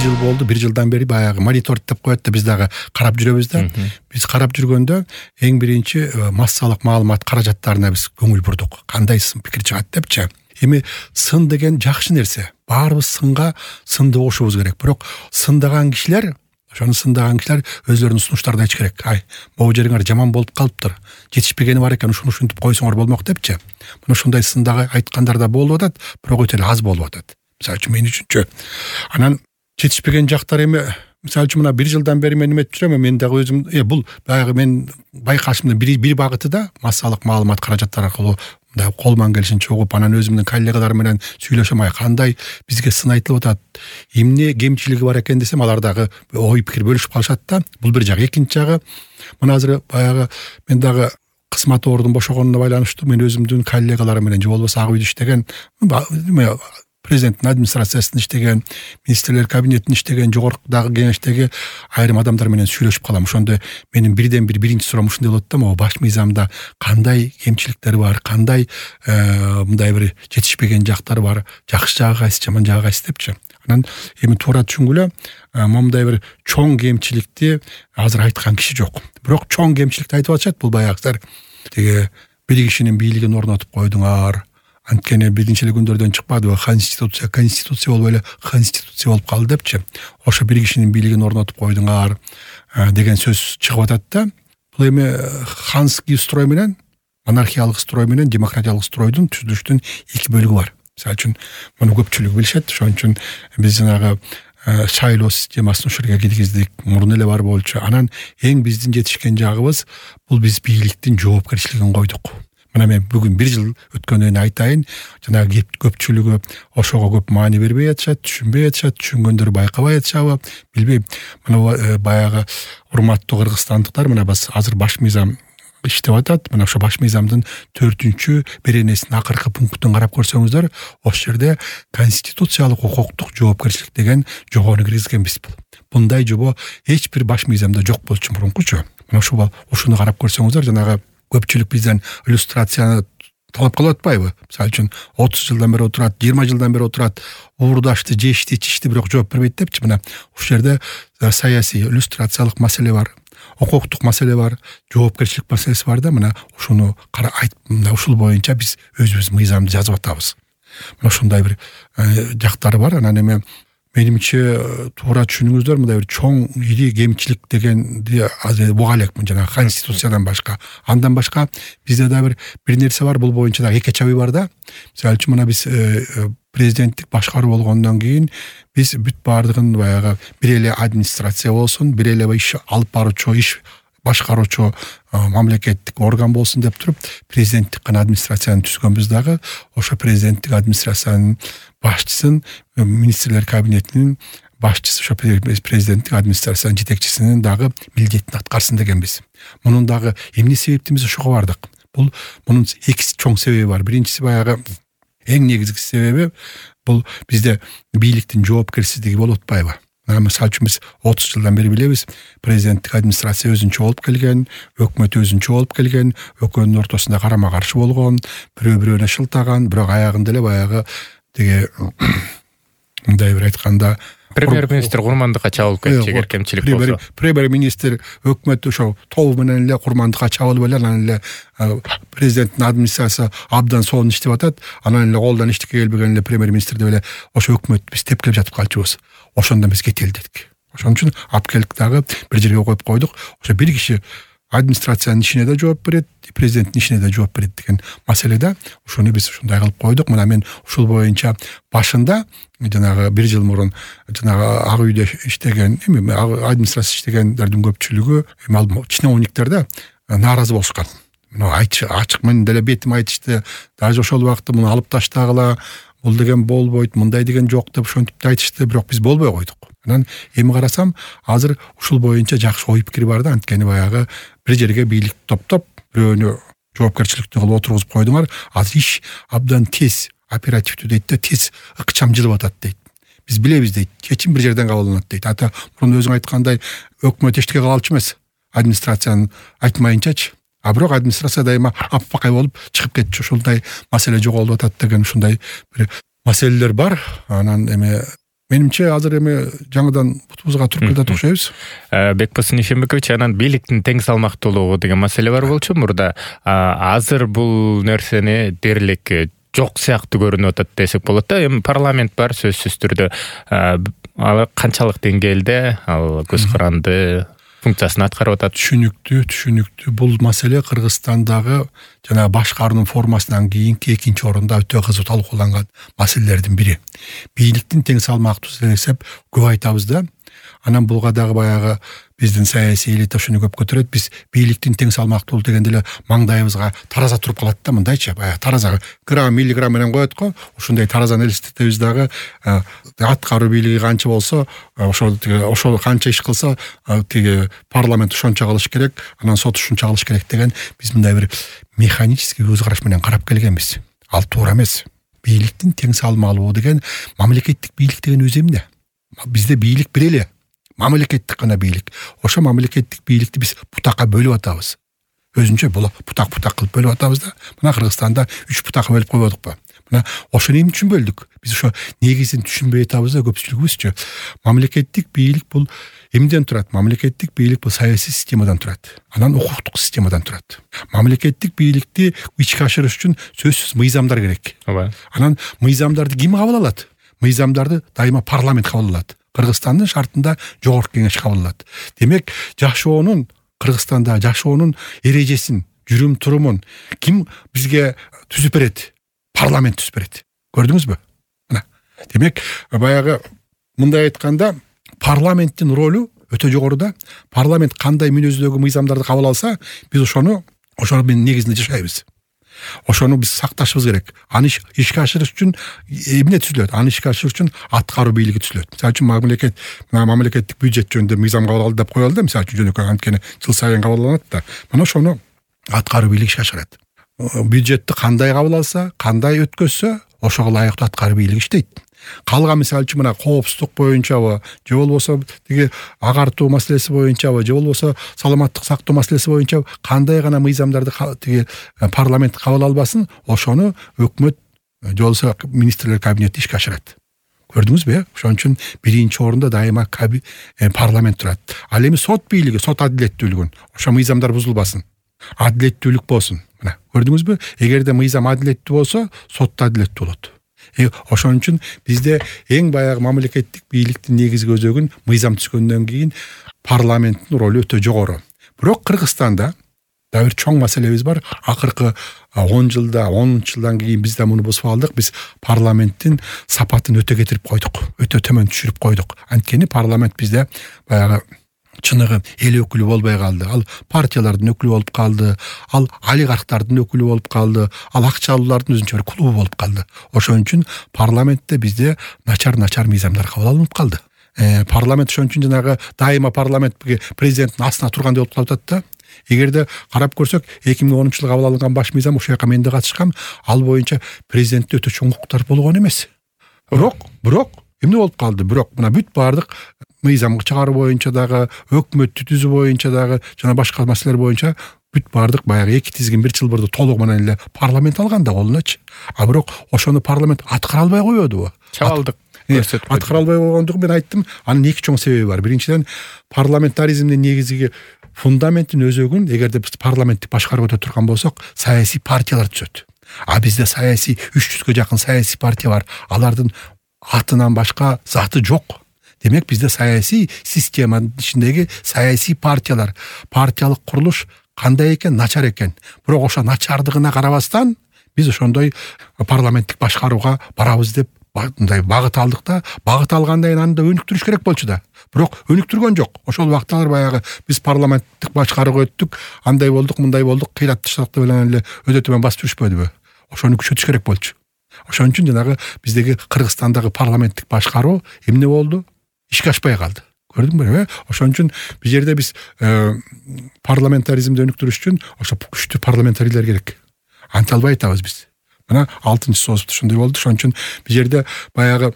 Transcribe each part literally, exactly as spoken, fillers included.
жыл болду. Бир жылдан бери баягы мониторинг деп коет да, биз дагы карап жүрөбүз да. Биз карап жүргөндө эң биринчи массалык маалымат каражаттарына биз көңүл бурдук. Кандай сын пикир чыгат депчи. Эми сын деген жакшы нерсе. Баарыбыз сынга сынды окушубуз керек. Бирок сындаган кишилер, ошону сындаган кишилер өзлөрүнүн сунуштарын айтыш керек. Ай, могу жериңер жаман болуп калыптыр. Жетишпегени бар экен, ушуну ушинтип койсоңор болмок депчи. Мына ушундай сындагы айткандар да болуп атат, бирок өтө эле аз болуп атат. Мисалы үчүн мен үчүнчү. Анан жетишпеген жактар эми мисалы үчүн мына бир жылдан бери мен эметип жүрөм, мен дагы өзүм э бул баягы мен байкашымдын бир бир багыты да массалык маалымат каражаттары аркылуу мындай колман келишинче угуп, анан өзүмдүн коллегаларым менен сүйлөшөм, ай кандай бизге сын айтылып атат, эмне кемчилиги бар экен десем, алар дагы ой пикир бөлүшүп калышат да. Бул бир жагы. Экинчи жагы, мына азыр баягы мен дагы кызмат ордун бошогонуна байланыштуу мен өзүмдүн коллегаларым менен же болбосо ак үйдө иштеген, президенттин администрациясында иштеген, министрлер кабинетинде иштеген, жогоркудагы кеңештеги айрым адамдар менен сүйлөшүп калам. Ошондо менин бирден бир биринчи суроом ушундай болот да, могу баш мыйзамда кандай кемчиликтер бар, кандай мындай бир жетишпеген жактар бар, жакшы жагы кайсы, жаман жагы кайсы депчи. Анан эми туура түшүнгүлө, момундай бир чоң кемчиликти азыр айткан киши жок. Бирок чоң кемчиликти айтып атышат. Бул баягы тиги бир кишинин бийлигин орнотуп койдуңар, анткени биринчи эле күндөрдөн чыкпадыбы, конституция конституция болуп эле конституция болуп калды депчи. Ошо бир кишинин бийлигин орнотуп койдуңар деген сөз чыгып атат да. Бул эми ханский строй менен, монархиялык строй менен демократиялык стройдун түзүлүштүн эки бөлүгү бар. Мисалы үчүн муну көпчүлүк билишет. Ошон үчүн биз жанагы шайлоо системасын ушул жерге киргиздик. Мурун эле бар болчу. Анан эң биздин жетишкен жагыбыз бул биз бийликтин жоопкерчилигин койдук. Мына мен бүгүн бир жыл өткөндөн айтайын, жанагы көпчүлүгү ошого көп маани бербей атышат, түшүнбөй атышат, түшүнгөндөр байкабай атышабы, билбейм. Мына баягы урматтуу кыргызстандыктар, мына биз азыр баш мыйзам иштеп атат. Мына ошо баш мыйзамдын төртүнчү беренесинин акыркы пунктун карап көрсөңүздөр, ошол жерде конституциялык укуктук жоопкерчилик деген жобону киргизгенбиз. Мындай жобо эч бир баш мыйзамда жок болчу мурункучу. Мына ушул ушуну карап көрсөңүздөр, жанагы көпчүлүк бизден иллюстрацияны талап кылып атпайбы? Мисалы үчүн отуз жылдан бери отурат, жыйырма жылдан бери отурат, уурдашты, жешти, ичишти, бирок жооп бербейт депчи. Мына ушул жерде саясий иллюстрациялык маселе бар, укуктук маселе бар, жоопкерчилик маселеси бар да. Мына ушуну кара айт, мына ушул боюнча биз өзүбүз мыйзамды жазып атабыз. Мына ушундай бир жактары бар. Анан эми менимче туура түшүнүңүздөр, мындай бир чоң ири кемчилик дегенди азыр буга элекмин, жанагы конституциядан башка. Андан башка бизде да бир бир нерсе бар, бул боюнча да эки чабый бар да. Мисалы үчүн мына биз президенттик башкаруу болгондон кийин биз бүт баардыгын баягы бир эле администрация болсун, бир эле иш алып баруучу, иш башкаруучу мамлекеттик орган болсун деп туруп президенттик гана администрацияны түзгөнбүз. Дагы ошо президенттик администрациянын башчысын, министрлер кабинетинин башчысы, ошо президенттик администрациянын жетекчисинин дагы милдетин аткарсын дегенбиз. Мунун дагы эмне себептен биз ошого бардык? Бул мунун эки чоң себеби бар. Биринчиси баягы эң негизги себеби бул бизде бийликтин жоопкерсиздиги болуп атпайбы? Мисалы үчүн биз отуз жылдан бери билебиз, президенттик администрация өзүнчө болуп келген, өкмөт өзүнчө болуп келген, экөөнүн ортосунда карама каршы болгон, бирөө бирөөнө шылтаган, бирок аягында эле баягы тиги мындай бир айтканда премьер-министр курмандыкка чабылып кетчү, эгер кемчилик болсо. Премьер-министр өкмөт ошо тобу менен эле курмандыкка чабылып эле, анан эле президенттин администрациясы абдан сонун иштеп атат, анан эле колдон эчтеке келбеген эле премьер-министр деп эле ошо өкмөт биз тепкилеп жатып калчубуз. Ошондон биз кетели дедик. Ошон үчүн алып келдик, дагы бир жерге коюп койдук. Ошо бир киши администрациянын ишине да жооп берет, президенттин ишине да жооп берет деген маселеде ушуну биз ушундай кылып койдук. Мына мен ушул боюнча башында жанагы бир жыл мурун жанагы ак үйдө иштеген, эми администрация иштегендердин көпчүлүгү эми чиновниктер да нааразы болушкан. Мына айтчы ачык менен деле бетим айтышты. Даже ошол убакта муну алып таштагыла, бул деген болбойт, мындай деген жок деп ошентип айтышты, бирок биз болбой койдук. Анан эми карасам, азыр ушул боюнча жакшы ой пикир бар да, анткени баягы бир жерге бийлик топтоп, бирөөнү жоопкерчиликтүү кылып отургузуп койдуңар. Азыр иш абдан тез, оперативдүү дейт да, тез ыкчам жылып атат дейт. Биз билебиз дейт, чечим бир жерден кабылданат дейт. Ата мурун өзүң айткандай өкмөт эчтеке кылалчу эмес, администрациянын айтмайынчачы. А бирок администрация дайыма аппакай болуп чыгып кетчү. Ушундай маселе жоголуп атат деген ушундай бир маселелер бар. Анан эми Менимче азыр эми жаңыдан бутубузга туруп кетип окшойбуз. Бекбосын Ишенбекович, анан бийликтин тең салмактуулугу деген маселе бар болчу мурда. Азыр бул нерсени дээрлик жок сыяктуу көрүнүп атат десек болот да. Эми парламент бар, сөзсүз түрдө. Ал канчалык деңгээлде ал көз каранды функциясын аткарып атат? Түшүнүктүү, түшүнүктүү. Бул маселе Кыргызстандагы жана башкаруу формасынан кийинки экинчи орунда өтө кызуу талкууланган маселелердин бири. Бийликтин тең салмактуулугу десеп көп айтабыз да. Анан булга дагы баягы биздин саясий элита ушуну көп көтөрөт. Биз бийликтин тең салмактуулугу дегенде эле маңдайыбызга тараза туруп калат да, мындайча, баягы таразага грамм, миллиграмм менен коет го. Ушундай таразаны элестетебиз дагы, аткаруу бийлиги канча болсо, ошол ошол канча иш кылса, тиги парламент ошончо кылыш керек, анан сот ушунча кылыш керек деген биз мындай бир механический көз караш менен карап келгенбиз. Ал туура эмес. Бийликтин тең салмалуу деген мамлекеттик бийлик деген өзү эмне? Бизде бийлик бир эле. Мамлекеттик гана бийлик. Ошо мамлекеттик бийликти биз бутакка бөлүп атабыз. Өзүнчө бул бутак-бутак кылып бөлүп атабыз да. Мына Кыргызстанда үч бутакка бөлүп койбодукпу? Мына ошону эмне үчүн бөлдүк? Биз ошо негизин түшүнбөй атабыз да, көпчүлүгүбүзчү. Мамлекеттик бийлик бул эмнеден турат? Мамлекеттик бийлик бул саясий системадан турат. Анан укуктук системадан турат. Мамлекеттик бийликти ичке ашырыш үчүн сөзсүз мыйзамдар керек. Ооба. Анан мыйзамдарды ким кабыл алат? Мыйзамдарды дайыма парламент кабыл алат. Кыргызстандын шартында жогорку кеңеш кабыл алат. Демек, жашоонун Кыргызстанда жашоонун эрежесин, жүрүм турумун ким бизге түзүп берет? Парламент түзүп берет. Көрдүңүзбү? Мына. Демек, баягы мындай айтканда, парламенттин ролу өтө жогоруда. Парламент кандай мүнөздөгү мыйзамдарды кабыл алса, биз ошону ошонун негизинде жашайбыз. Ошону биз сакташыбыз керек. Аны ишке ашырыш үчүн эмне түзүлөт? Аны ишке ашырыш үчүн аткаруу бийлиги түзүлөт. Мисалы үчүн мамлекет, мамлекеттик бюджет жөнүндө мыйзам кабыл алды деп коелу да, мисалы үчүн жөнөкөй анткени жыл сайын кабылданат да. Мына ошону аткаруу бийлиги ишке ашырат. Бюджетти кандай кабыл алса, кандай өткөзсө, ошого ылайыктуу аткаруу бийлиги иштейт. Калган мисалы үчүн мына коопсуздук боюнчабы, же болбосо тиги агартуу маселеси боюнчабы, же болбосо саламаттык сактоо маселеси боюнча кандай гана мыйзамдарды тиги парламент кабыл албасын, ошону өкмөт же болбосо министрлер кабинети ишке ашырат. Көрдүңүзбү? Ошон үчүн биринчи орунда дайыма парламент турат. Ал эми сот бийлиги, сот адилеттүүлүгүн, ошо мыйзамдар бузулбасын. Адилеттүүлүк болсун. Мына, көрдүңүзбү? Эгерде мыйзам адилеттүү болсо, сот да адилеттүү болот. Ошон үчүн бизде эң баягы мамлекеттик бийликтин негизги өзөгүн мыйзам түзгөндөн кийин парламенттин ролу өтө жогору. Бирок Кыргызстанда да бир чоң маселебиз бар. Акыркы он жылда, онунчу жылдан кийин биз да муну бузуп алдык. Биз парламенттин сапатын өтө кетирип койдук, өтө төмөн түшүрүп койдук. Анткени парламент бизде баягы чыныгы эл өкүлү болбой калды. Ал партиялардын өкүлү болуп калды, ал олигархтардын өкүлү болуп калды, ал акчалуулардын өзүнчө бир клубу болуп калды. Ошон үчүн парламентте бизде начар-начар мыйзамдар кабыл алынып калды. Э, парламент ошон үчүн жанагы дайыма парламент президенттин астына тургандай болуп калып атат да. Эгерде карап көрсөк, эки миң онунчу жылы кабыл алынган баш мыйзам, ошол жака мен да катышкам, ал боюнча президентте өтө чоң укуктар болгон эмес. Бирок, бирок эмне болуп калды? Бирок мына бүт баардык мыйзам чыгаруу боюнча дагы, өкмөттү түзүү боюнча дагы, жана башка маселелер боюнча бүт баардык баягы эки тизгин бир чылбырды толук менен эле парламент алган да колуначы. А бирок ошону парламент аткара албай коёдубу? Чабалдык. Аткара албай койгондугу мен айттым. Анын эки чоң себеби бар. Биринчиден, парламентаризмдин негизги фундаменттин өзөгүн эгерде биз парламенттик башкарып өтө турган болсок, саясий партиялар түзөт. А бизде саясий үч жүзгө жакын саясий партия бар. Алардын атынан башка заты жок. Демек, бизде саясий системанын ичиндеги саясий партиялар, партиялык курулуш кандай экен? Начар экен. Бирок ошо начардыгына карабастан биз ошондой парламенттик башкарууга барабыз деп мындай багыт алдык да, багыт алгандан кийин аны да өнүктүрүш керек болчу да. Бирок өнүктүргөн жок. Ошол убакталар баягы биз парламенттик башкарууга өттүк, андай болдук, мындай болдук, кыйратты шартты менен эле өтө төмөн басып жүрүшпөдүбү? Ошону күчөтүш керек болчу. Ошон үчүн жанагы биздеги Кыргызстандагы парламенттик башкаруу эмне болду? Ишке ашпай калды. Көрдүңбү? Ошон үчүн бул жерде биз парламентаризмди өнүктүрүш үчүн ошо күчтүү парламентарийлер керек. Анте албай атабыз биз. Мына алтынчы соозбузда ошондой болду. Ошон үчүн бул жерде баягы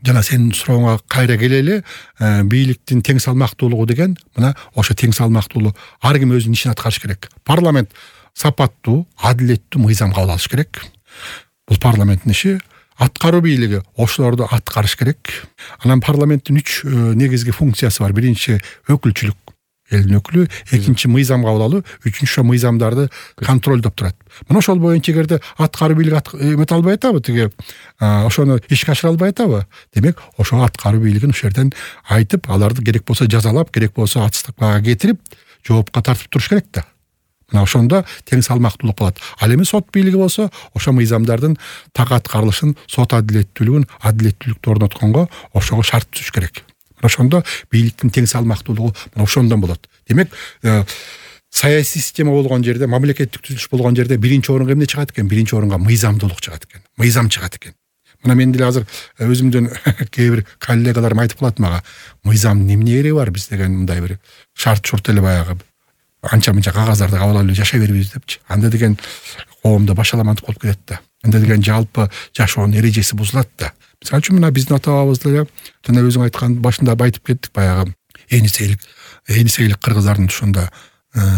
жана сенин сурооңа кайра келели, бийликтин тең салмактуулугу деген, мына ошо тең салмактуулук ар ким өзүнүн ишин аткарыш керек. Парламент сапаттуу, адилеттүү мыйзам кабыл алыш керек. Бул парламенттин иши. аткаруу бийлиги ошолорду аткарыш керек. Анан парламенттин үч негизги функциясы бар. Биринчи өкүлчүлүк, элдин өкүлү, экинчи мыйзам кабыл алуу, үчүнчү мыйзамдарды контролдоп турат. Мына ошол боюнча эгерде аткаруу бийлиги эмете албай атабы, тиги ошону ишке ашыра албай атабы, демек ошо аткаруу бийлигин ошол жерден айтып, аларды керек болсо жазалап, керек болсо отставкага кетирип, жоопко тартып туруш керек да. Мына ошондо тең салмактуулук болот. Ал эми сот бийлиги болсо, ошо мыйзамдардын так аткарылышын, сот адилеттүүлүгүн, адилеттүүлүктү орнотконго ошого шарт түзүш керек. Ошондо бийликтин тең салмактуулугу мына ошондон болот. Демек, саясий система болгон жерде, мамлекеттик түзүлүш болгон жерде биринчи орунга эмне чыгат экен? Биринчи орунга мыйзамдуулук чыгат экен. Мыйзам чыгат экен. Мына мен деле азыр өзүмдүн кээ бир коллегаларым айтып калат мага, мыйзамдын эмне кереги бар биз деген мындай бир шарт шурт эле баягы анча-мынча кагаздарды кабыл алып жашай бербейбиз депчи. Анда деген коомдо башаламандык болуп кетет да. Анда деген жалпы жашоонун эрежеси бузулат да. Мисалы үчүн мына биздин ата-бабабыз деле жана өзүң айткан башында айтып кеттик баягы энисейлик, энисейлик кыргыздардын ушунда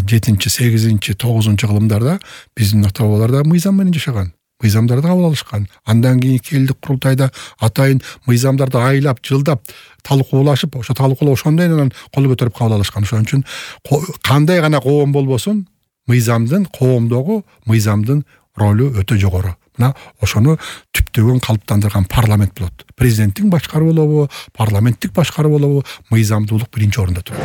жетинчи, сегизинчи, тогузунчу кылымдарда биздин ата-бабалар да мыйзам менен жашаган. Мыйзамдарды кабыл алышкан. Андан кийинки элдик курултайда атайын мыйзамдарды айлап, жылдап талкуулашып, ошо талкуулоо ошондой анан кол көтөрүп кабыл алышкан. Ошон үчүн кандай гана коом болбосун, мыйзамдын, коомдогу мыйзамдын ролу өтө жогору. Мына ошону түптөгөн калыптандырган парламент болот. Президенттин башкаруу болобу, парламенттик башкаруу болобу, мыйзамдуулук биринчи орунда турат.